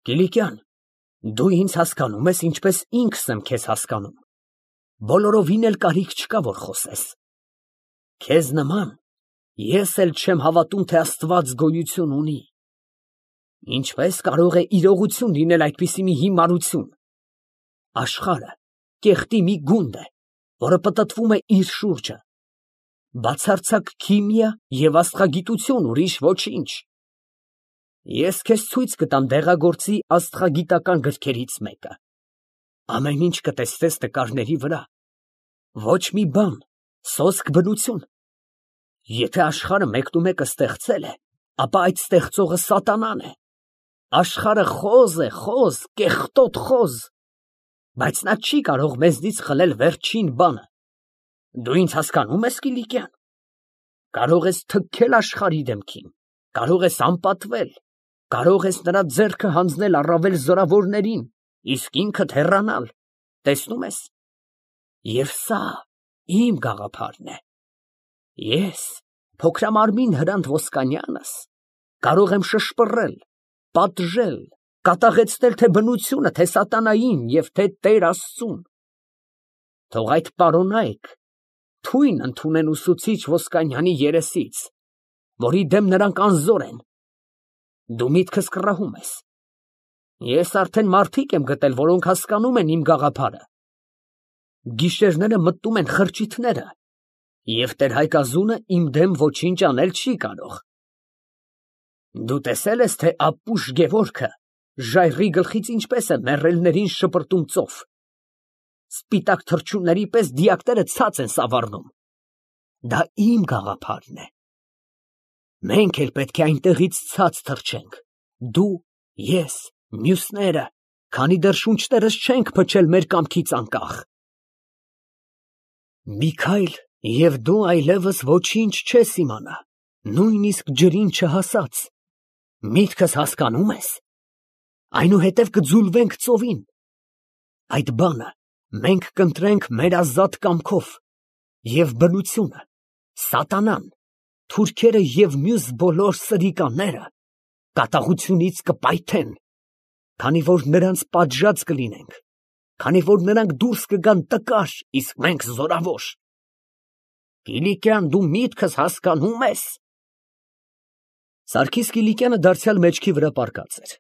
Կիլիկյան, դու ինձ հասկանում ես, ինչպես ինքս եմ քեզ հասկանում, բոլորովին էլ կարիք չկա, որ խոսես։ Քեզ նման ես էլ չեմ հավատում, թե Աստված գոյություն ունի։ Ինչպես կարող է իրողություն լինել այդպիսի մի հիմարություն։ Աշխարհը կեղտի մի գունդ է, որը պտտվում է իր շուրջը։ Բացարձակ քիմիա և աստղագիտություն, ուրիշ ոչինչ։ Ես քեզ ցույց կտամ դեղագործի աստղագիտական գրքերից մեկը։ Ամեն ինչ կտեսնես նկարների վրա։ Ոչ մի բան, սոսկ բնություն։ Եթե աշխարհը մեկնումեկը ստեղծել է, ապա այդ ստեղծողը սատանան է։ Աշխարհը խոզ է, խոզ, կեղտոտ խոզ, բայց նա չի կարող մեզնից խլել վերջին բանը։ Դու ինձ հասկանում ես, Կիլիկյան։ Կարող ես թքել աշխարհի դեմքին, կարող ես անպատվել, կարող ես նրա ձեռքը հանձնել առավել զորավորներին, իսկ ինքդ հեռանալ, տեսնում ես։ Եվ սա իմ գաղափարն է։ Ես, փոքրամարմին Հրանտ Ոսկանյանս, կարող եմ շշպռել, պատժել, կատաղեցնել թե բնությունը, թե սատանային և թե Տեր Աստծուն։ Թող այդ պարոնայք թույն ընդունեն ուսուցիչ Ոսկանյանի երեսից, որի դեմ նրանք անզոր են։ Դու միտքս կռահում ես։ Ես արդեն մարդիկ եմ գտել, որոնք հասկանում են իմ գաղափարը։ Գիշերները մտնում են խրճիթները, և տեր-Հայկազունը իմ դեմ ոչինչ անել չի կարող։ Դու տեսել ես, թե ապուշ Գևորգը ժայռի գլխից ինչպես է մեռելներին շպրտում ծով։ Սպիտակ թռչունների պես դիակները ցած են սավառնում։ Դա իմ գաղափարն է։ Մենք էլ պետք է այնտեղից ցած թռչենք։ Դու, ես, մյուսները, քանի դեռ շունչներս չենք փչել մեր կամքից անկախ։ Մի քայլ և դու այլևս ոչինչ չես իմանա, նույնիսկ ջրին չհասած։ Միտքս հասկանում ես։ Այնուհետև կձուլվենք ծովին։ Այդ բանը մենք կընտրենք մեր ազատ կամքով, և բնությունը, սատանան, թուրքերը և մյուս բոլոր սրիկաները կատաղությունից կպայթեն, քանի որ նրանց պատժած կլինենք, քանի որ նրանք դուրս կգան տկար, իսկ մենք զորավոր։ Կիլիկյան, դու միտքս հասկանում ես։ Սարգիս Կիլիկյանը դարձյալ մեջքի վրա պառկած էր,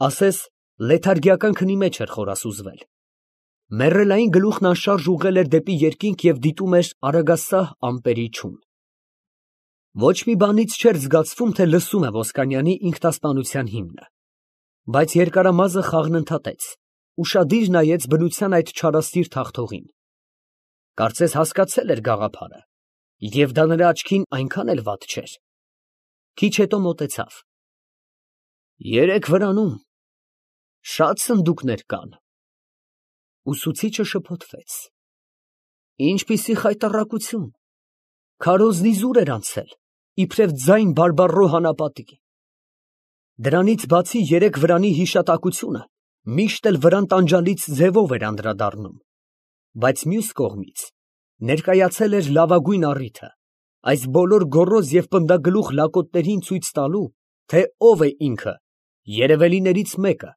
ասես լեթարգիական քնի մեջ էր խորասուզվել։ Մեռելային գլուխն անշարժ ուղղել էր դեպի երկինք և դիտում էր արագասահ ամպերի չուն։ Ոչ մի բանից չէր զգացվում, թե լսում է Ոսկանյանի ինքնասպանության հիմնը, բայց երկարամազը խաղն ընդհատեց, ուշադիր նայեց բնության այդ չարասիր թախթողին։ Կարծես հասկացել էր գաղափարը, և դա նրա աչքին այնքան էլ վատ չէր։ Քիչ հետո մոտեցավ։ Երեք վրանում շատ սնդուկներ կան։ Ուսուցիչը շփոթվեց։ Ինչպիսի խայտառակություն, քարոզնիզուր էր անցել, իբրև ձայն բարբառո հանապատի։ Դրանից բացի երեք վրանի հիշատակությունը միշտ էլ վրան տանջալից ձևով էր անդրադառնում, բայց մյուս կողմից ներկայացել էր լավագույն առիթը, այս բոլոր գոռոզ և պնդագլուխ լակոտներին ցույց տալու, թե ով է ինքը, երևելիներից մեկը,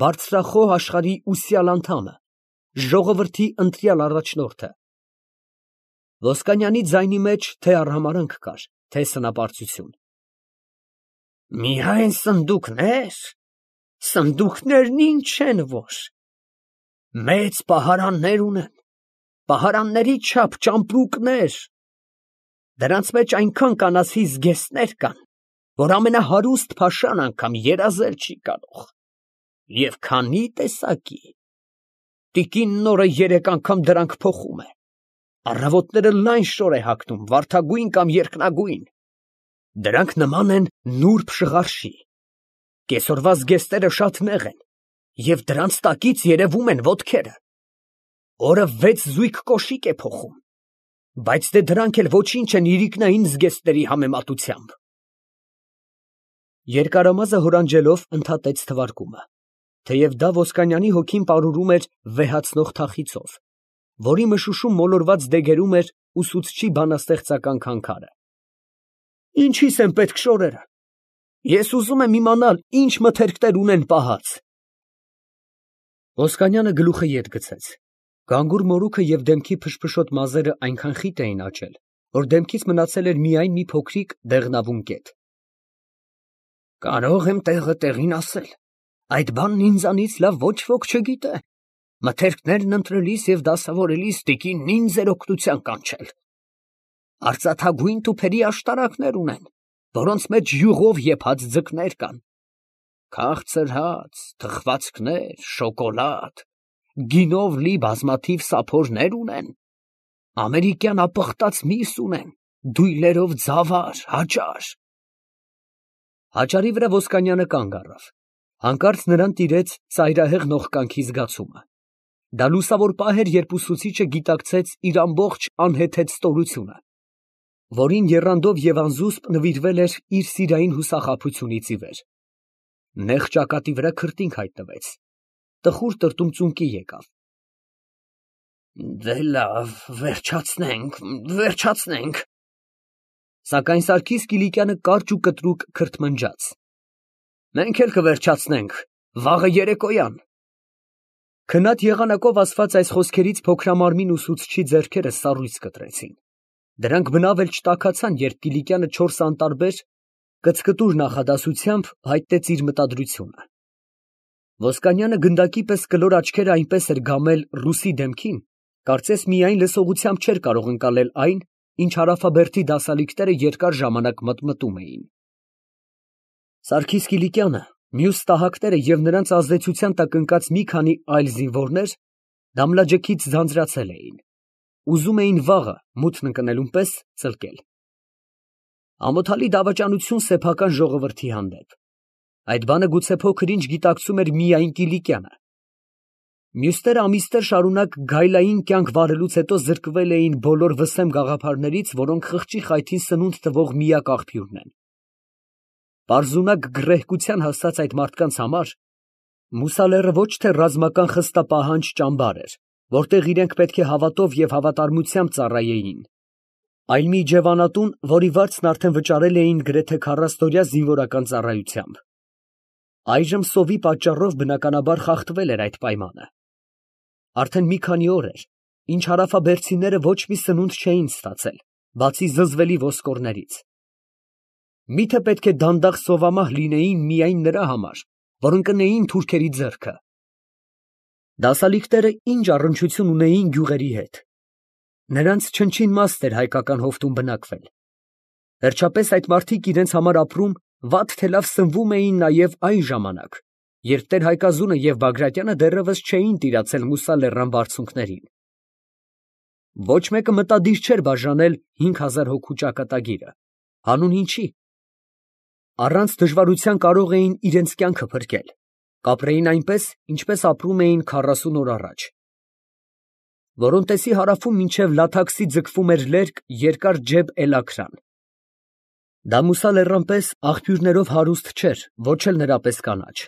բարձրախոհ աշխարհի ուսյալ անդամը, ժողովրդի ընտրյալ առաջնորդը։ Ոսկանյանի ձայնի մեջ թե արհամարհանք կար, թե սնապարծություն։ Միայն սնդուկներ, սնդուկներն ինչ են որ։ Մեծ պահարաններ ունեն, պահարանների չափ ճամպրուկներ։ Դրանց մեջ այնքան կանացի զգեստներ կան, որ ամենահարուստ փաշան անգամ երազել չի կարող։ Եվ քանի տեսակի։ Տիկինն օրը 3 անգամ դրանք փոխում է։ Առավոտները լայն շոր է հագնում, վարդագույն կամ երկնագույն։ Դրանք նման են նուրբ շղարշի։ Կեսօրվա զգեստները շատ նեղ են, և դրանց տակից երևում են ոտքերը։ Օրը 6 զույգ կոշիկ է փոխում, բայց դե դրանք էլ ոչինչ են իրիկնային զգեստների համեմատությամբ։ Երկարամազը հորանջելով ընդհատեց թվարկումը, թեև դա Ոսկանյանի հոգին պարուրում էր վեհացնող թախիծով, որի մշուշում մոլորված դեգերում էր ուսուցչի բանաստեղծական քանքարը։ Ինչիս են պետք շորերը։ Ես ուզում եմ իմանալ, ինչ մթերքներ ունեն պահած։ Ոսկանյանը գլուխը ետ գցեց։ Գանգուր մորուքը և դեմքի փշփշոտ մազերը այնքան խիտ էին աճել, որ դեմքից մնացել էր միայն մի փոքրիկ դեղնավուն կետ։ Կարող եմ տեղը տեղին ասել, այդ բանն ինձանից լավ ոչ ոք չգիտե։ Մթերքներն ընտրելիս և դասավորելիս տիկինն ինձ էր օգնության կանչել։ Արծաթագույն տուփերի աշտարակներ ունեն, որոնց մեջ յուղով եփած ձկներ կան։ Քաղցր հաց, թխվածքներ, շոկոլադ, գինով լի բազմաթիվ սափորներ ունեն։ Ամերիկյան ապխտած միս ունեն, դույլերով ձավար, հաճար։ Հաճարի վրա Ոսկանյանը կանգ առավ։ Հանկարծ նրան տիրեց ծայրահեղ նողկանքի զգացումը։ Դա լուսավոր պահ էր, երբ ուսուցիչը գիտակցեց իր ամբողջ անհեթեթ ստորությունը, որին եռանդով և անզուսպ նվիրվել էր իր սիրային հուսախաբությունից ի վեր։ Նեղ ճակատի վրա քրտինք հայտնվեց, տխուր տրտունցունկի եկավ։ Դե լավ, վերջացնենք։ Սակայն Սարգիս Կիլիկյանը կարճ ու կտրուկ քրթմնջաց. Մենք էլ կվերջացնենք, վաղը երեկոյան։ Քնած եղանակով ասված այս խոսքերից փոքրամարմին ուսուցչի ձեռքերը սառույց կտրեցին։ Դրանք բնավ էլ չտաքացան, երբ Կիլիկյանը 4 անտարբեր կծկտուր նախադասությամբ հայտնեց իր մտադրությունը։ Ոսկանյանը գնդակի պես կլոր աչքերը այնպես էր գամել ռուսի դեմքին, կարծես միայն լսողությամբ չէր կարող ընկալել այն, ինչ հարավաբերդի դասալիկները երկար ժամանակ մտմտում էին։ Սարգիս Կիլիկյանը, մյուս տահակները և նրանց ազդեցության տակ ընկած մի քանի այլ զինվորներ դամլաջքից ձանձրացել էին, ուզում էին վաղը մութն ընկնելուն պես ծլկել։ Ամոթալի դավաճանություն սեփական ժողովրդի հանդեպ։ Այդ բանը գուցե փոքր-ինչ գիտակցում էր միայն Կիլիկյանը։ Մյուսները ամիսներ շարունակ գայլային կյանք վարելուց հետո զրկվել էին բոլոր վսեմ գաղափարներից, որոնք խղճի խայթին սնունդ տվող միակ աղբյուրն են։ Պարզունակ գռեհկության հասած այդ մարդկանց համար Մուսալեռը ոչ թե ռազմական խստապահանջ ճամբար էր, որտեղ իրենք պետք է հավատով և հավատարմությամբ ծառայեին, այլ մի իջևանատուն, որի վարձն արդեն վճարել էին գրեթե 40-օրյա զինվորական ծառայությամբ։ Այժմ սովի պատճառով բնականաբար խախտվել էր այդ պայմանը։ Արդեն մի քանի օր էր, ինչ հարավաբերդցիները ոչ մի սնունդ չէին ստացել, բացի զզվելի ոսկորներից։ Միթե պետք է դանդաղ սովամահ լինեին միայն նրա համար, որ ընկնեին թուրքերի ձեռքը։ Դասալիկները ինչ առնչություն ունեին գյուղերի հետ։ Նրանց չնչին մաստ էր հայկական հովտում բնակվել։ Վերջապես այդ մարդիկ իրենց համար ապրում վատ թե լավ սնվում էին նաև այն ժամանակ, երբ Տեր-Հայկազունը և Բագրատյանը դեռևս չէին տիրացել Մուսալեռան բարձունքներին։ Ոչ մեկը մտադիր չէր բաժանել 5000 հոգու ճակատագիրը, հանուն ինչի։ Առանց դժվարության կարող էին իրենց կյանքը փրկել, կապրեին այնպես, ինչպես ապրում էին 40 օր առաջ։ Որոնտեսի հարավում մինչև Լաթաքսի ձգվում էր լերկ երկար ջեբ Էլաքրան։ Դա Մուսալեռան պես աղբյուրներով հարուստ չէր, ոչ էլ նրա պես կանաչ։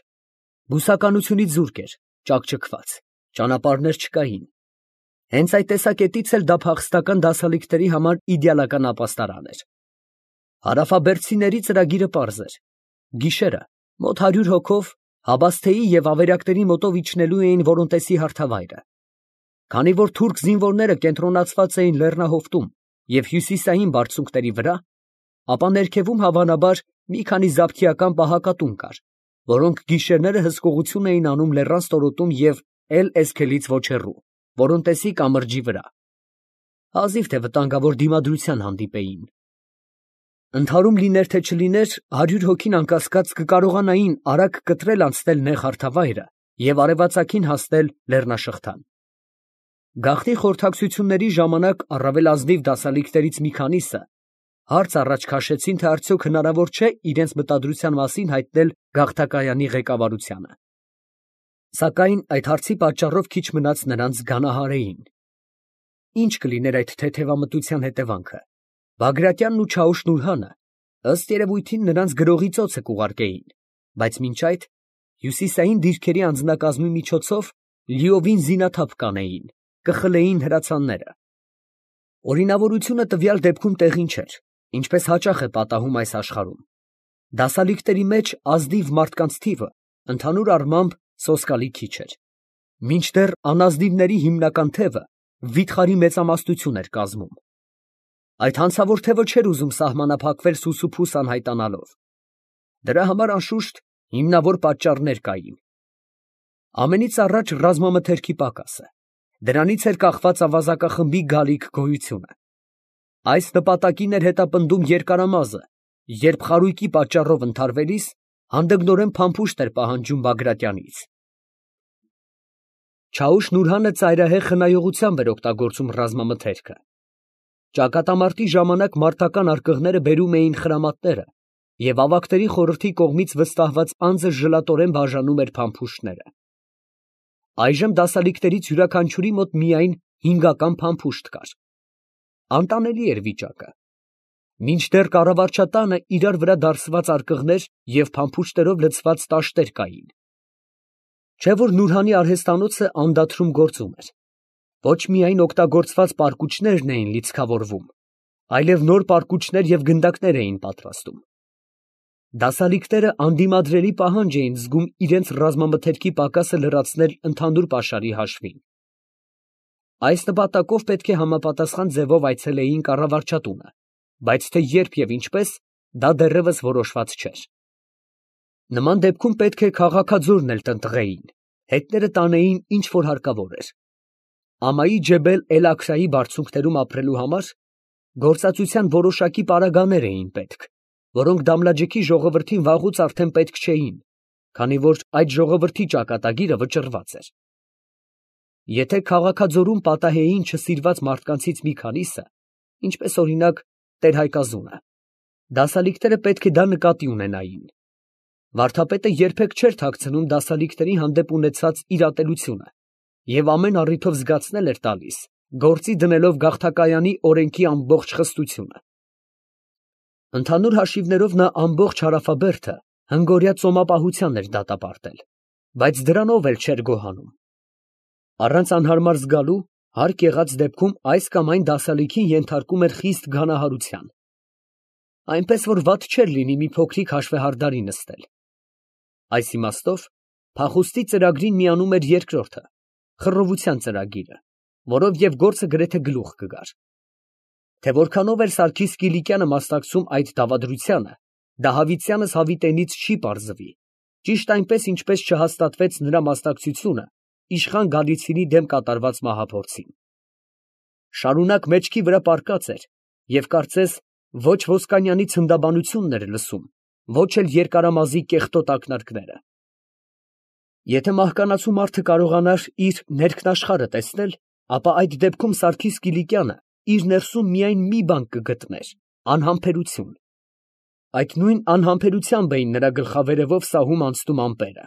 Բուսականությունից զուրկ էր, ճաքճքված, ճանապարհներ չկային։ Հենց այդ տեսակետից էլ դա փախստական դասալիկների համար իդեալական ապաստարան էր։ Հարավաբերդցիների ծրագիրը պարզ էր։ Գիշերը մոտ 100 հոգով Հաբասթեի և ավերակների մոտով իջնելու էին Որոնտեսի հարթավայրը։ Քանի որ թուրք զինվորները կենտրոնացված էին լեռնահովտում և հյուսիսային բարձունքների վրա, ապա ներքևում հավանաբար մի քանի զաբթիական պահակատուն կար, որոնք գիշերները հսկողություն էին անում լեռան ստորոտում և Էլ-Էսքելից ոչ հեռու, Որոնտեսի կամրջի վրա։ Հազիվ թե վտանգավոր դիմադրության հանդիպեին։ Ընդհարում լիներ թե չլիներ, 100 հոգին անկասկած կկարողանային արագ կտրել անցնել նեղ հարթավայրը և արևածագին հասնել լեռնաշղթան։ Գաղտնի խորհրդակցությունների ժամանակ առավել ազնիվ դասալիկներից մի քանիսը հարց առաջ քաշեցին, թե արդյոք հնարավոր չէ իրենց մտադրության մասին հայտնել գաղթակայանի ղեկավարությանը։ Սակայն այդ հարցի պատճառով քիչ մնաց նրանց գանահարեին։ Ինչ կլիներ այդ թեթևամտության հետևանքը։ Բագրատյանն ու Չաուշ֊Նուրհանը ըստ երևույթին նրանց գրողի ծոցը կուղարկեին, բայց մինչ այդ հյուսիսային դիրքերի անձնակազմի միջոցով լիովին զինաթափ կանեին, կխլեին հրացանները։ Օրինավորությունը տվյալ դեպքում տեղին չէր, ինչպես հաճախ է պատահում այս աշխարհում։ Դասալիկների մեջ ազնիվ մարդկանց թիվը ընդհանուր առմամբ սոսկալի քիչ էր։ Մինչդեռ անազնիվների հիմնական թևը վիթխարի մեծամասնություն էր կազմում։ Այդ հանցավոր թևը չէր ուզում սահմանափակվել Սուսուփուս անհայտանալով։ Դրա համար անշուշտ հիմնավոր պատճառներ կային։ Ամենից առաջ ռազմամթերքի պակասը, դրանից էր կախված ավազակախմբի գալիք գոյությունը։ Այս նպատակին էր հետապնդում երկարամազը, երբ խարույկի պատճառով ընդհարվելիս հանդգնորեն փամփուշտ էր պահանջում Բագրատյանից։ Չաուշ Նուրհանը ծայրահեղ խնայողությամբ էր օգտագործում ռազմամթերքը։ Ճակատամարտի ժամանակ մարտական արկղները բերում էին խրամատները, և ավագների խորհրդի կողմից վստահված անձը ժլատորեն բաժանում էր փամփուշտները։ Այժմ դասալիկներից յուրաքանչյուրի մոտ միայն 5-ական փամփուշտ կար։ Անտանելի էր վիճակը։ Մինչդեռ կառավարչատանը իրար վրա դարսված արկղներ և փամփուշտերով լցված տաշտեր կային։ Չէ՞ որ Նուրհանի արհեստանոցը անդադրում գործում էր։ Ոչ միայն օգտագործված պարկուճներն էին լիցքավորվում, այլև նոր պարկուճներ և գնդակներ էին պատրաստում։ Դասալիկները անդիմադրելի պահանջ էին զգում իրենց ռազմամթերքի պակասը լրացնել ընդհանուր պաշարի հաշվին։ Այս նպատակով պետք է համապատասխան ձևով այցելեին կառավարչատունը, բայց թե երբ և ինչպես, դա դեռևս որոշված չէր։ Նման դեպքում պետք է քաղաքաձորն էլ տնտղեին, հետները տանեին ինչ որ հարկավոր էր։ Ամայի Ջեբել Էլ-Աքրայի բարձունքներում ապրելու համար գործածության որոշակի պարագաներ էին պետք, որոնք Դամլաջեքի ժողովրդին վաղուց արդեն պետք չէին, քանի որ այդ ժողովրդի ճակատագիրը վճռված էր։ Եթե քաղաքաձորում պատահեին չսիրված մարդկանցից մի քանիսը, ինչպես օրինակ տեր-Հայկազունը, դասալիկները պետք է դա նկատի ունենային։ Վարդապետը երբեք չէր թաքցնում դասալիկների հանդեպ ունեցած իր ատելությունը և ամեն առիթով զգացնել էր տալիս, գործի դնելով գաղթակայանի օրենքի ամբողջ խստությունը։ Ընդհանուր հաշիվներով նա ամբողջ հարավաբերդը հնգօրյա ծոմապահության էր դատապարտել, բայց դրանով էլ չէր գոհանում։ Առանց անհարմար զգալու, հարկ եղած դեպքում այս կամ այն դասալիքին ենթարկում էր խիստ գանահարության։ Այնպես որ վատ չէր լինի մի փոքրիկ հաշվեհարդարի նստել։ Այս իմաստով փախուստի ծրագրին միանում էր երկրորդը, խռովության ծրագիրը, որով և գործը գրեթե գլուխ կգար։ Թե որքանով էր Սարգիս Կիլիկյանը մասնակցում այդ դավադրությանը, Դահավիցյանս հավիտենից չի պարզվի, ճիշտ այնպես, ինչպես չհաստատվեց նրա մասնակցությունը իշխան Գալիցինի դեմ կատարված մահափորձին։ Շարունակ մեջքի վրա պառկած էր և կարծես ոչ Ոսկանյանի ցնդաբանությունն էր լսում, ոչ էլ երկարամազի կեղտոտ ակնարկները։ Եթե մահկանացու մարդը կարողանար իր ներքնաշխարհը տեսնել, ապա այդ դեպքում Սարգիս Կիլիկյանը իր ներսում միայն մի բան կգտներ՝ անհամբերություն։ Այդ նույն անհամբերությամբ էին նրա գլխավերևով սահում անցնում ամպերը։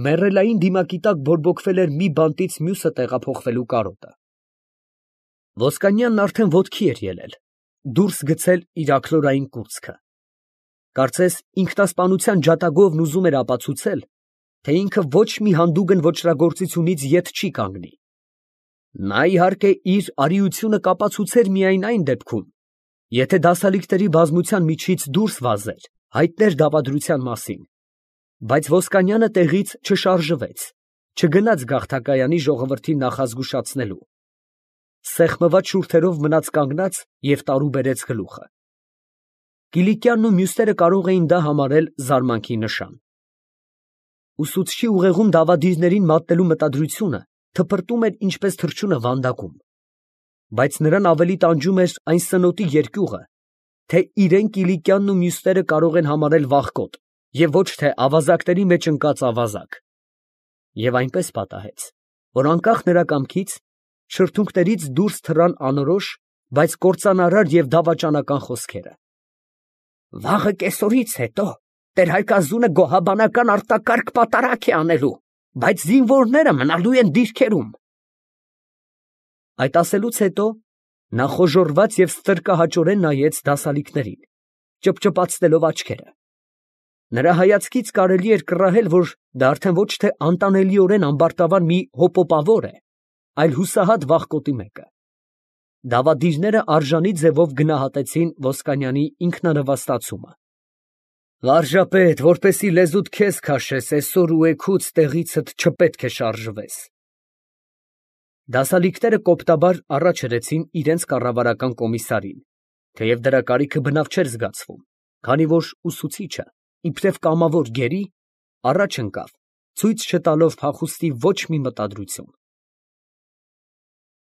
Մեռելային դիմակի տակ բորբոքվել էր մի բանտից մյուսը տեղափոխվելու կարոտը։ Ոսկանյանն արդեն ոտքի էր ելել, դուրս գցել իր աքլորային կուրծքը։ Կարծես ինքնասպանության ջատագովն ուզում էր ապացուցել, թե ինքը ոչ մի հանդուգն ոճրագործությունից ետ չի կանգնի։ Նա, իհարկե, իր արիությունը կապացուցեր միայն այն դեպքում, եթե դասալիկների բազմության միջից դուրս վազեր, հայտներ դավադրության մասին, բայց Ոսկանյանը տեղից չշարժվեց, չգնաց գաղթակայանի ժողովրդին նախազգուշացնելու։ Սեղմված շուրթերով մնաց կանգնած և տարուբերեց գլուխը։ Կիլիկյանն ու մյուսները կարող էին դա համարել զարմանքի նշան։ Ուսուցչի ուղեղում դավադիրներին մատնելու մտադրությունը թփրտում էր ինչպես թռչունը վանդակում, բայց նրան ավելի տանջում էր այն սնոտի երկյուղը, թե իրեն Կիլիկյանն ու մյուսները կարող են համարել վախկոտ և ոչ թե ավազակների մեջ ընկած ավազակ։ Եվ այնպես պատահեց, որ անկախ նրա կամքից շրթունքներից դուրս թռան անորոշ, բայց կործանարար և դավաճանական խոսքերը. «Վաղը կեսօրից հետո տեր֊Հայկազունը գոհաբանական արտակարգ պատարագ է անելու, բայց զինվորները մնալու են դիրքերում»։ Այդ ասելուց հետո նա խոժոռված և ստրկահաճորեն նայեց դասալիկներին, ճպճպացնելով աչքերը։ Նրա հայացքից կարելի էր կռահել, որ դա արդեն ոչ թե անտանելիորեն ամբարտավան մի հոպոպավոր է, այլ հուսահատ վախկոտի մեկը։ Դավադիրները արժանի ձևով գնահատեցին Ոսկանյանի ինքնանվաստացումը։ Վարժապետ, որպեսի լեզուդ քեզ քաշես, այսօր ու էգուց տեղիցդ չպետք է շարժվես։ Դասալիկները կոպտաբար առաջ հրեցին իրենց կառավարական կոմիսարին, թեև դրա կարիքը բնավ չէր զգացվում, քանի որ ուսուցիչը, իբրև կամավոր գերի, առաջ ընկավ, ցույց չտալով փախուստի ոչ մի մտադրություն։